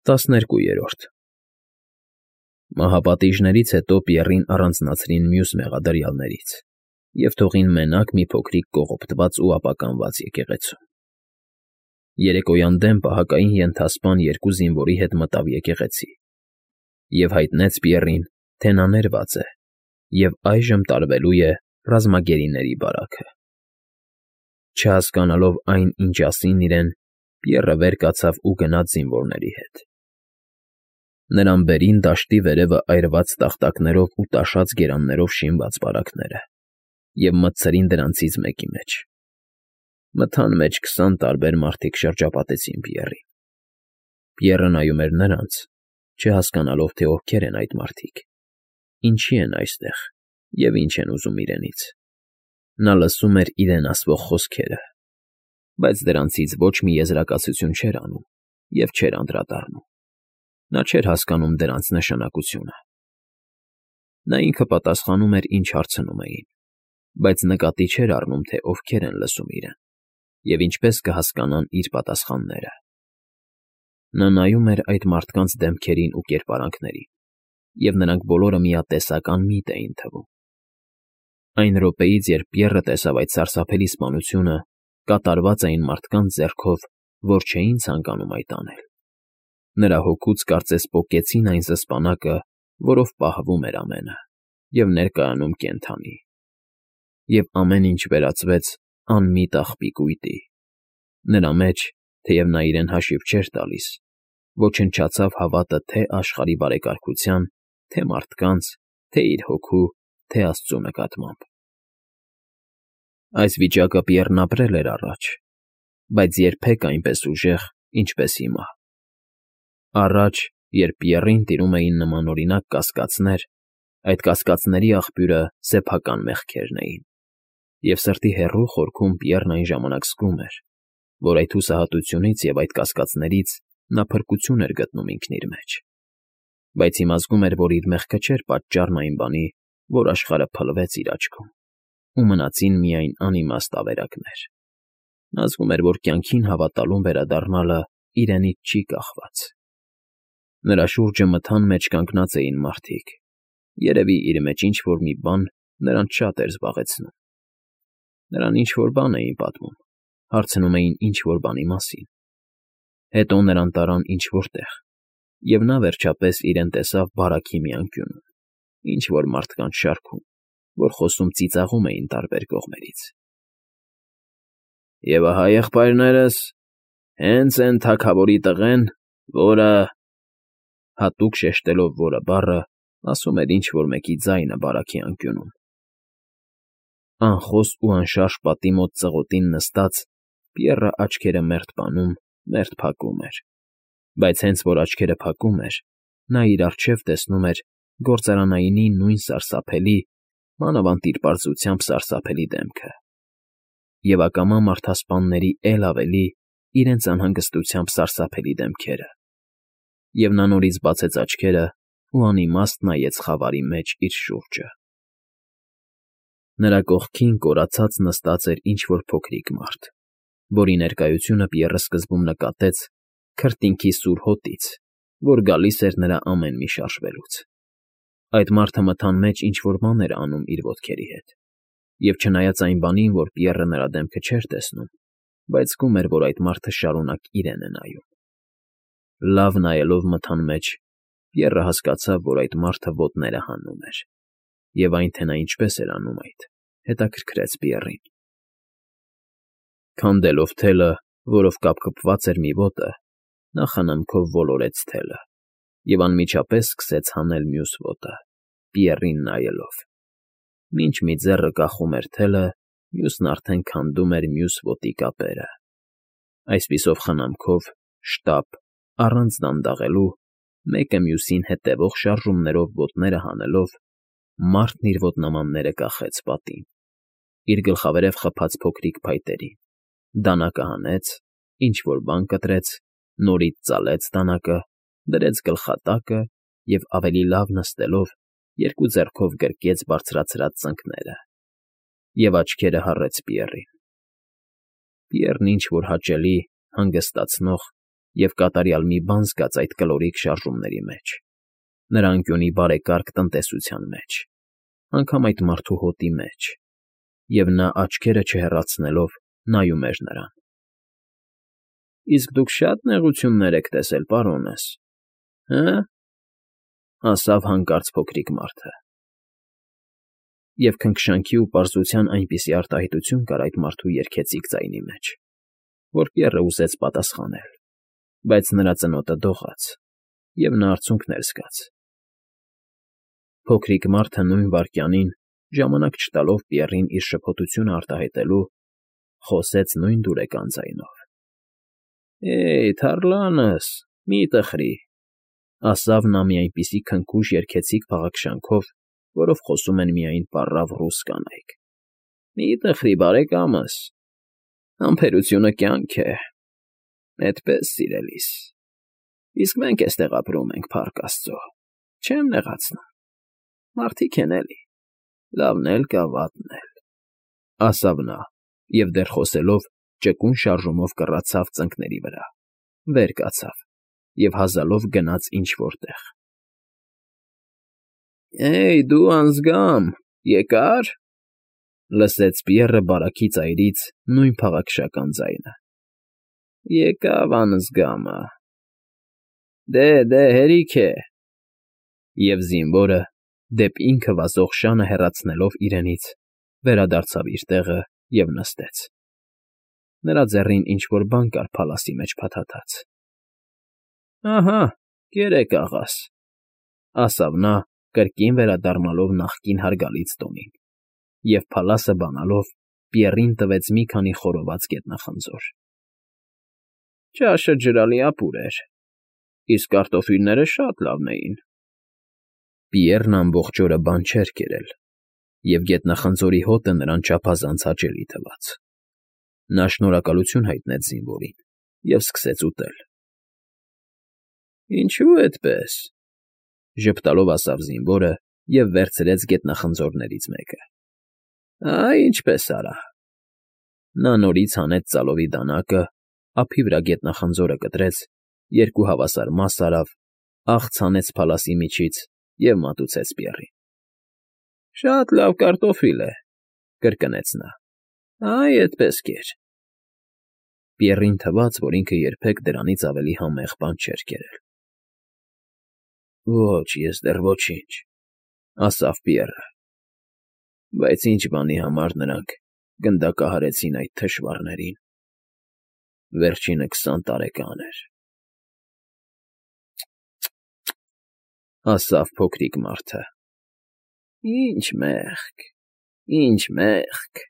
12 Մահապատիժներից հետո Պիեռին առանձնացրին մյուս մեղադրյալներից և թողին մենակ մի փոքրիկ կողոպտված ու ապականված եկեղեցու։ Երեկոյան դեմ պահակային ենթասպան երկու զինվորի հետ մտավ եկեղեցի և հայտնեց Պիեռին, թե նա ներված է և այժմ տարվելու է ռազմագերիների բարաքը։ Չհասկանալով այն, ինչ ասին իրեն, Պիեռը վեր կացավ ու գնաց զինվորների հետ։ Նրան բերին դաշտի վերևը այրված տախտակներով ու տաշած գերաններով շինված բարակները և մտցրին դրանցից մեկի մեջ։ Մթան մեջ 20 տարբեր մարդիկ շրջապատեցին Պիեռին։ Պիեռը նայում էր նրանց, չհասկանալով, թե ովքեր են այդ մարդիկ, ինչի են այստեղ և ինչ են ուզում իրենից։ Նա լսում էր իրեն ասվող խոսքերը, բայց դրանցից ոչ մի եզրակացություն չէր անում և չէր անդրադառնում։ Նա չէր հասկանում դրանց նշանակությունը։ Նա ինքը պատասխանում էր, ինչ հարցնում էին, բայց նկատի չէր առնում, թե ովքեր են լսում իրեն և ինչպես կհասկանան իր պատասխանները։ Նա նայում էր այդ մարդկանց դեմքերին ու կերպարանքներին, և նրանք բոլորը միատեսական միտ էին թվում։ Այն րոպեից, երբ Պիեռը տեսավ այդ սարսափելի սպանությունը, կատարված այն մարդկանց ձեռքով, որ չէին ցանկանում այդ անել։ Նրա հոգուց կարծես պոկեցին այն զսպանակը, որով պահվում էր ամենը, և ներկայանում կենդանի։ Եվ ամեն ինչ վերածվեց անմիտ աղբի կույտի։ Նրա մեջ, թեև նա իրեն հաշիվ չէր տալիս, ոչնչացավ հավատը թե աշխարհի բարեկարգության, թե մարդկանց, թե իր հոգու, թե Աստծու նկատմամբ։ Այս վիճակը Պիեռն ապրել էր առաջ, բայց երբեք այնպես ուժեղ, ինչպես հիմա։ Առաջ, երբ Պիեռին տիրում էին նմանօրինակ կասկածներ, այդ կասկածների աղբյուրը սեփական մեղքերն էին, և սրտի հեռու խորքում Պիեռն այն ժամանակ զգում էր, որ այդ հուսահատությունից և այդ կասկածներից նա փրկություն էր գտնում ինքն իր մեջ։ Բայց հիմա զգում էր, որ իր մեղքը չէր պատճառն այն բանի, որ աշխարհը փլվեց իր աչքում, ու մնացին միայն անիմաստ ավերակներ։ Նա զգում էր, որ կյանքին հավատալուն վերադառնալը իրենից չի կախված։ Նրա շուրջը մթան մեջ կանգնած էին մարդիկ։ Երևի իր մեջ ինչ֊որ մի բան նրանց շատ էր զբաղեցնում։ Նրան ինչ֊որ բան էին պատմում, հարցնում էին ինչ֊որ բանի մասին։ Հետո նրան տարան ինչ֊որ տեղ, և նա վերջապես իրեն տեսավ բարաքի մի անկյունում, ինչ֊որ մարդկանց շարքում, որ խոսում ծիծաղում էին տարբեր կողմերից։ «Եվ ահա եղբայրներս, հենց էն թագավորի տղեն, որը…» Հատուկ շեշտելով «որը» բառը, ասում էր ինչ֊որ մեկի ձայնը բարաքի անկյունում։ Անխոս ու անշարժ պատի մոտ ծղոտին նստած՝ Պիեռը աչքերը մերթ բանում, մերթ փակում էր, բայց հենց որ աչքերը փակում էր, նա իր առջև տեսնում էր գործարանայինի նույն սարսափելի, մանավանդ իր պարզությամբ սարսափելի դեմքը, և ակամա մարդասպանների էլ ավելի իրենց անհանգստությամբ սարսափելի դեմքերը, և նա նորից բացեց աչքերը ու անիմաստ նայեց խավարի մեջ իր շուրջը։ Նրա կողքին կորացած նստած էր ինչ֊որ փոքրիկ մարդ, որի ներկայությունը Պիեռը սկզբում նկատեց քրտինքի սուր հոտից, որ գալիս էր նրա ամեն մի շարժվելուց։ Այդ մարդը մթան մեջ ինչ֊որ բան էր անում իր ոտքերի հետ, և չնայած այն բանին, որ Պիեռը նրա դեմքը չէր տեսնում, բայց զգում էր, որ այդ մարդը շարունակ իրեն է նայում։ Լավ նայելով մթան մեջ, Պիեռը հասկացավ, որ այդ մարդը ոտները հանում էր, և այն, թե նա ինչպես էր անում այդ, հետաքրքրեց Պիեռին։ Քանդելով թելը, որով կապկպված էր մի ոտը, նա խնամքով ոլորեց թելը և անմիջապես սկսեց հանել մյուս ոտը, Պիեռին նայելով։ Մինչ մի ձեռը կախում էր թելը, մյուսն արդեն քանդում էր մյուս ոտի կապերը։ Այսպիսով խնամքով, շտապ, առանց դանդաղելու, մեկը մյուսին հետևող շարժումներով ոտները հանելով, մարդն իր ոտնամանները կախեց պատին, իր գլխավերև խփած փոքրիկ փայտերին, դանակը հանեց, ինչ֊որ բան կտրեց, նորից ծալեց դանակը, դրեց գլխատակը և, ավելի լավ նստելով, երկու ձեռքով գրկեց բարձրացրած ծնկները և աչքերը հառեց Պիեռին։ Պիեռն ինչ֊որ հաճելի, հանգստացնող և կատարյալ մի բան զգաց այդ կլորիկ շարժումների մեջ, նրա անկյունի բարեկարգ տնտեսության մեջ, անգամ այդ մարդու հոտի մեջ, և նա աչքերը չհեռացնելով նայում էր նրան։ ֊ Իսկ դուք շատ նեղություններ եք տեսել, պարոնս, հը՞, ասավ հանկարծ փոքրիկ մարդը։ Եվ քնքշանքի ու պարզության այնպիսի արտահայտություն կար այդ մարդու երգեցիկ ձայնի մեջ, որ Պիեռը ուզեց պատասխանել, բայց նրա ծնոտը դողաց, և նա արցունքներ զգաց։ Փոքրիկ մարդը նույն վայրկյանին, ժամանակ չտալով Պիեռին իր շփոթությունը արտահայտելու, խոսեց նույն դուրեկան ձայնով։ «Հեյ, թառլանս, մի տխրի», ասավ նա մի այնպիսի քնքուշ երգեցիկ փաղաքշանքով, որով խոսում են միայն պառավ ռուս կանայք։ «Մի տխրի, բարեկամս, համբերությունը կյանք է, էդպես սիրելիս, իսկ մենք էստեղ ապրում ենք, փառք աստծո, չեմ նեղացնում, մարդիկ են էլի, լավն էլ կա, վատն էլ», ասավ նա, և դեռ խոսելով ճկուն շարժումով կռացավ ծնկների վրա, վեր կացավ և հազալով գնաց ինչ֊որ տեղ։ «Հեյ, դու անձգամ, եկա՞ր», լսեց Պիեռը բարակ ծայրից նույն փաղաքշական ձայնը։ «Եկավ անձգամը, դե, հերիք է», և զինվորը, դեպ ինքը վազող շանը հեռացնելով իրենից, վերադարձավ իր տեղը և նստեց։ Նրա ձեռին ինչ֊որ բան կար փալասի մեջ փաթաթած։ «Ահա, կերեք, աղաս», ասավ նա, կրկին վերադառնալով նախկին հարգալից տոնին, և փալասը բանալով Պիեռին տվեց մի քանի խորոված գետնախնձոր։ «Ճաշը ջրալի ապուր էր, իսկ կարտոֆիլները շատ լավն էին»։ Պիեռն ամբողջ օրը բան չէր կերել, և գետնախնձորի հոտը նրան չափազանց հաճելի թվաց։ Նա շնորհակալություն հայտնեց զինվորին և սկսեց ուտել։ «Ինչո՞ւ էդպես», ժպտալով ասավ զինվորը և վերցրեց գետնախնձորներից մեկը։ «Այ ինչպես արա»։ Նա նորից հանեց ծալովի դանակը, ափի վրա գետնախնձորը կտրեց, երկու հավասար մաս արավ, աղց հանեց փալասի միջից և մատուցեց Պիեռին։ «Շատ լավ կարտոֆիլ է», կրկնեց նա։ «Այ էդպես կեր»։ Պիեռին թվաց, որ ինքը երբեք դրանից ավելի համեղ բան չէր կերել։ «Ոչ, ես դեռ ոչինչ», ասավ Պիեռը։ «Բայց ինչ բանի համար նրանք գնդակահարեցին այդ թշվառներին։ Վերջինը 20 տարեկան էր»։ «Թ֊թ֊թ», ասավ փոքրիկ մարդը։ Ինչ մեղք,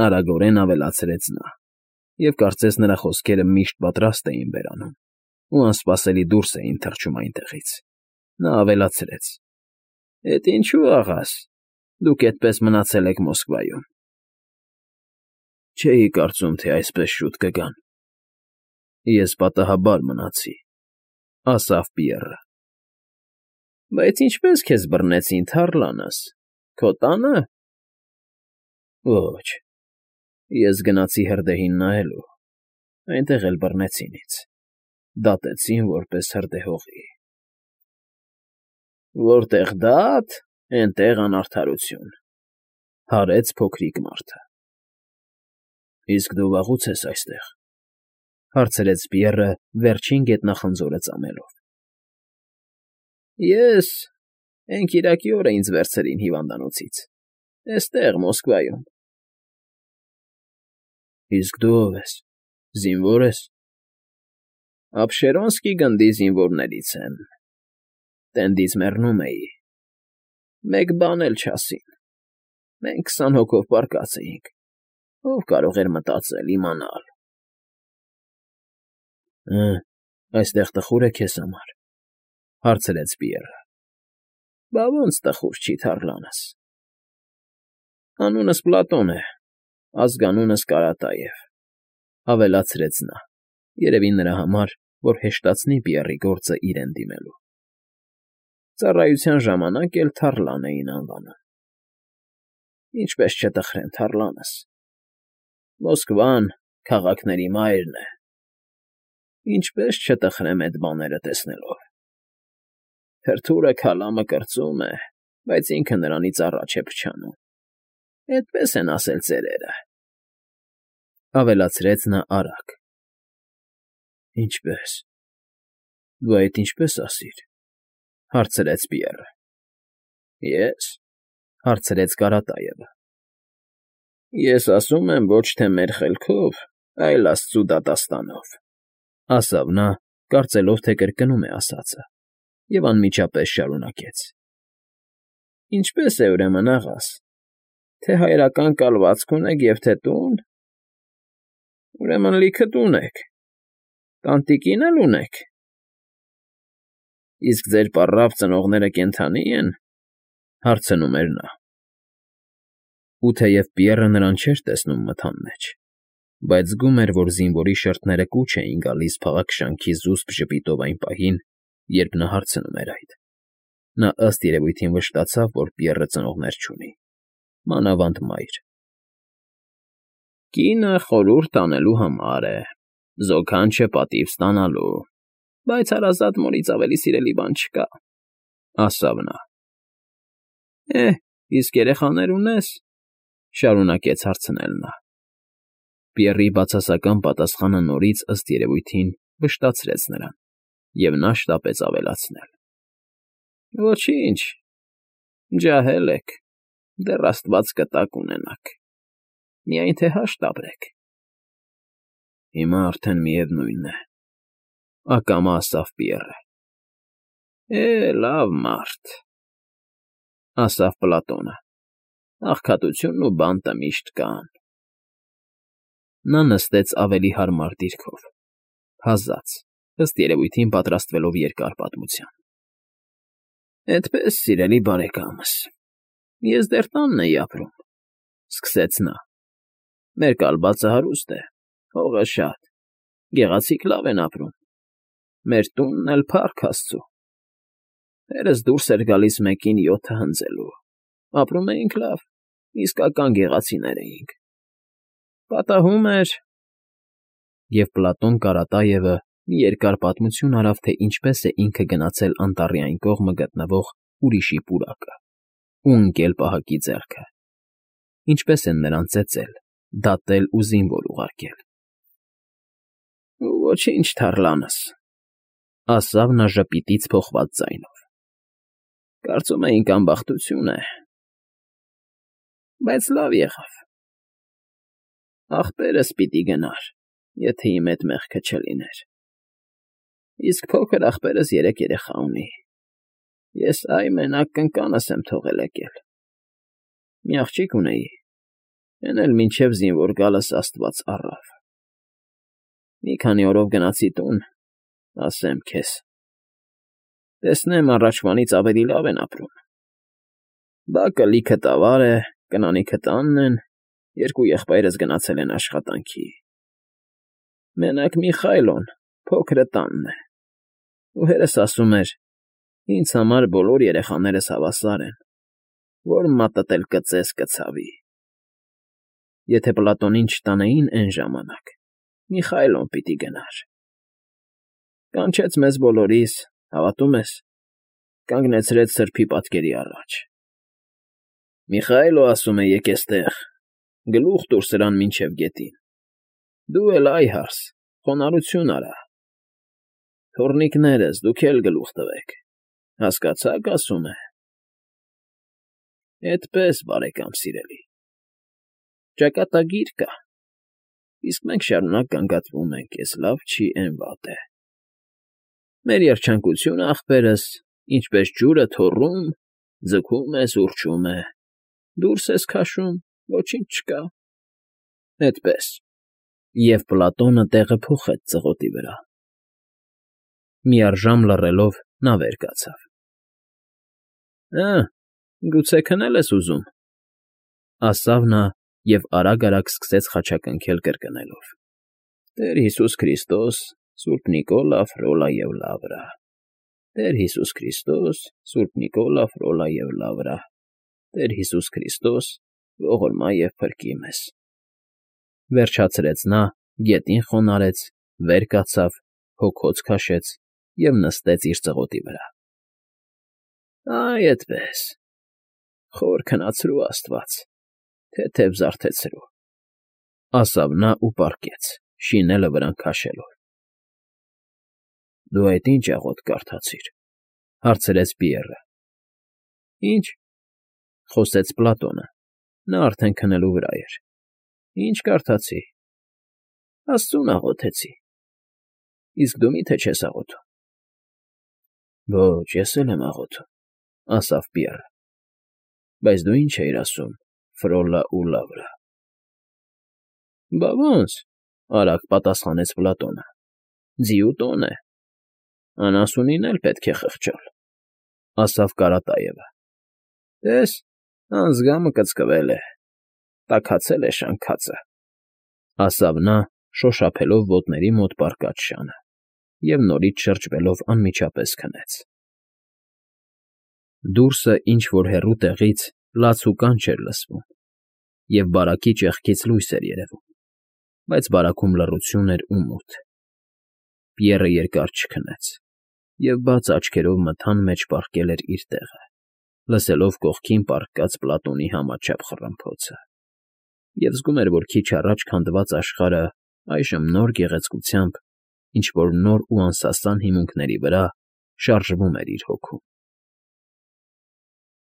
արագորեն ավելացրեց նա, և կարծես նրա խոսքերը միշտ պատրաստ էին բերանում ու անսպասելի դուրս էին թռչում այնտեղից։ Նա ավելացրեց. «Էդ ինչու, աղաս, դուք էդպես մնացել եք Մոսկվայում»։ «Չէի կարծում, թե այսպես շուտ կգան»։ «Ես պատահաբար մնացի», ասավ Պիեռը։ «Բայց ինչպե՞ս քեզ բռնեցին, թառլանս, քո տա՞նը»։ «Ոչ, ես գնացի հրդեհին նայելու, այնտեղ էլ բռնեցին ինձ, դատեցին որպես հրդեհողի»։ «Որտեղ դատ, էնտեղ անարդարություն», հարեց փոքրիկ մարդը։ «Իսկ դու վաղուց ես այստեղ», հարցրեց Պիեռը վերջին գետնախնձորը ծամելով։ «Ես… Հենքիրակի օրը ինձ վերցրին հիվանդանոցից, էստեղ, Մոսկվայում»։ «Իսկ դու ո՞վ ես, զինվո՞ր ես»։ «Աբշերոնսկի գնդի զինվորներից եմ, տենդից մեռնում էի, մեկ բան էլ չասին, մենք 20 հոգով պառկած էինք, ով կարող էր մտածել, իմանալ»։ «Հը, այստեղ տխուր է քեզ համար», հարցրեց Պիեռը։ «Բա ոնց տխուր չի, թառլանս»։ «Անունս Պլատոն է, ազգանունս Կարատաև», ավելացրեց նա, երևի նրա համար, որ հեշտացնի Պիեռի գործը իրեն դիմելու։ «Ծառայության ժամանակ էլ թառլան էին անվանում»։ «Ինչպես չտխրեմ, թառլանս, Մոսկվան քաղաքների մայրն է, Ինչպես չտխրեմ այդ բաները տեսնելով։ Թրթուրը քալամը կրծում է, բայց ինքը նրանից առաջ է փչանում։ Այդպես են ասել ծերերը։ Ավելացրեց նա արագ։ Ինչպես։ Դու այդ ինչպես ասիր, հարցրեց Պիեռը։ Ես, հարցրեց Կարատայևը։ Ես ասում եմ ոչ թե մեր խելքով, այլ Աստծու դատաստանով, ասավ նա, կարծելով, թե կրկնում է ասածը, և անմիջապես շարունակեց. Ինչպես է ուրեմն աղաս, թե հայրական կալվածք ունեք և թե տուն, ուրեմն լիքը տուն եք, տանտիկին էլ ունեք, իսկ ձեր պառավ ծնողները կենդանի են, հարցնում էր նա։ Ու թեև Պիեռը նրան չէր տեսնում մթան մեջ, բայց զգում էր, որ զինվորի շրթները կուչ էին գալիս փաղաքշանքի զուսպ ժպիտով այն պահին, երբ նա հարցնում էր այդ։ Նա ըստ երևույթին վշտացավ, որ Պիեռը ծնողներ չունի, մանավանդ մայր։ Կինը խորհուրդ անելու համար է, զոքանչը պատիվ ստանալու, բայց հարազատ մորից ավելի սիրելի բան չկա, ասավ նա։ Իսկ երեխաներ ունես, շարունակեց հարցնել նա։ Պիեռի բացասական պատասխանը նորից ըստ երևույթին վշտացրեց նրան, և նա շտապեց ավելացնել. Ոչինչ, ջահել եք, դեռ Աստված կտակ ունենաք, միայն թե հաշտ ապրեք։ Հիմա արդեն միևնույն է, ակամա ասավ Պիեռը։ Լավ մարդ, ասավ Պլատոնը, աղքատությունն ու բանտը միշտ կան։ Նա նստեց ավելի հարմար դիրքով, հազաց, ըստ երևույթին պատրաստվելով երկար պատմության։ Այդպես, սիրելի բարեկամս, ես դեռ տանն էի ապրում, սկսեց նա։ Մեր կալվածը հարուստ է, հողը շատ, գեղեցիկ լավ են ապրում։ Մեր տունն էլ փառք Աստծու։ Հերս դուրս էր գալիս մեկին 7 հնձելու, ապրում էինք լավ, իսկական գեղացիներ էինք։ Պատահում էր… Եվ Պլատոն Կարատայևը մի երկար պատմություն արավ, թե ինչպես է ինքը գնացել անտառի այն կողմը գտնվող ուրիշի պուրակը ու ընկել պահակի ձեռքը, ինչպես են նրան ծեծել, դատել ու զինվոր ուղարկել։ Ոչինչ, թառլանս, ասավ նա ժպիտից փոխված ձայնով։ Կարծում էինք անբախտություն է, բայց լավ եղավ։ Ախպերս պիտի գնար, եթե իմ հետ մեղքը չլիներ։ Իսկ փոքր ախպերս 3 երեխա ունի։ Ես մենակ կնկանս եմ թողել եկել։ Մի աղջիկ ունեի, էն էլ մինչև զինվոր գալս Աստված առավ։ Մի քանի օրով գնացի տուն, ասեմ քեզ։ Տեսնեմ առաջվանից ավելի լավ են ապրում։ Բակը լիքը տավար է, կնանիքը տանն են, 2 եղբայրս գնացել են աշխատանքի։ Մենակ Միխայլոն, փոքրը տանն է։ Ու հերս ասում էր, ինձ համար բոլոր երեխաներս հավասար են, որ մատդ էլ կծես կցավի։ Եթե Պլատոնին չտանեին այն ժամանակ, Միխայլոն պիտի գնար։ Կանչեց մեզ բոլորիս, հավատում ես, կանգնեցրեց սրբի պատկերի առաջ։ Միխայլո, ասում է, եկ էստեղ, գլուխ տուր սրան մինչև գետին։ Դու էլ այ հարս, խոնարհություն արա։ Թոռնիկներս, դուք էլ գլուխ տվեք, հասկացա՞ք, ասում է։ Էդպես, բարեկամ սիրելի, ճակատագիր կա, իսկ մենք շարունակ գանգատվում ենք, էս լավ չի, էն վատ է։ Մեր երջանկությունը, ախպերս, ինչպես ջուրը թոռում, ձգում է, սուրճում է, դուրս ես քաշում, ոչինչ չկա։ Էդպես։ Եվ Պլատոնը տեղը փոխեց ծղոտի վրա։ Միառժամ լռելով նա վեր կացավ։ Գուցե քնել ես ուզում, ասավ նա և արագ-արագ սկսեց խաչակնքել կրկնելով. Տեր Հիսուս Քրիստոս, Սուրբ Նիկոլա, Ֆրոլա և Լավրա, Տեր Հիսուս Քրիստոս, Սուրբ Նիկոլա, Ֆրոլա և Լավրա, Տեր Հիսուս Քրիստոս, ողորմա և փրկի մեզ։ Վերջացրեց նա, գետին խոնարհեց, վեր կացավ հոգոց քաշեց և նստեց իր ծղոտի վրա։ Այ էդպես, խոր քնացրու աստված, թեթև զարթեցրու, ասավ նա ու պառկեց, շինելը վրան քաշելով։ Դու այդ ի՞նչ աղոթք կարդացիր, հարցրեց Պիեռը։ Ինչ, խոսեց Պլատոնը, նա արդեն քնելու վրա էր։ Ինչ կարդացի, Աստծուն աղոթեցի, իսկ դու մի՞թե չես աղոթում։ Ոչ, ես էլ եմ աղոթում, ասավ Պիեռը։ Բայց դու ինչ էիր ասում, Ֆրոլա ու Լավրա։ Բա ոնց, արագ պատասխանեց Պլատոնը, ձիու տոն է, անասունին էլ պետք է խղճալ, ասավ Կարատայևը։ Տես, անձգամը կծկվել է, տաքացել է շանքածը, ասավ նա, շոշափելով ոտների մոտ պառկած շանը, և նորից շրջվելով անմիջապես քնեց։ Դուրսը ինչ֊որ հեռու տեղից լաց ու կանչ էր լսվում, և բարակի ճեղքից լույս էր երևում, բայց բարաքում լռություն էր ու մութ։ Պիեռը երկար չքնեց և բաց աչքերով մթան մեջ պառկել էր իր տեղը, լսելով կողքին պառկած Պլատոնի համաչափ խռմփոցը, և զգում էր, որ քիչ առաջ քանդված աշխարհը այժմ նոր գեղեցկությամբ, ինչ֊որ նոր ու անսասան հիմունքների վրա շարժվում էր իր հոգում։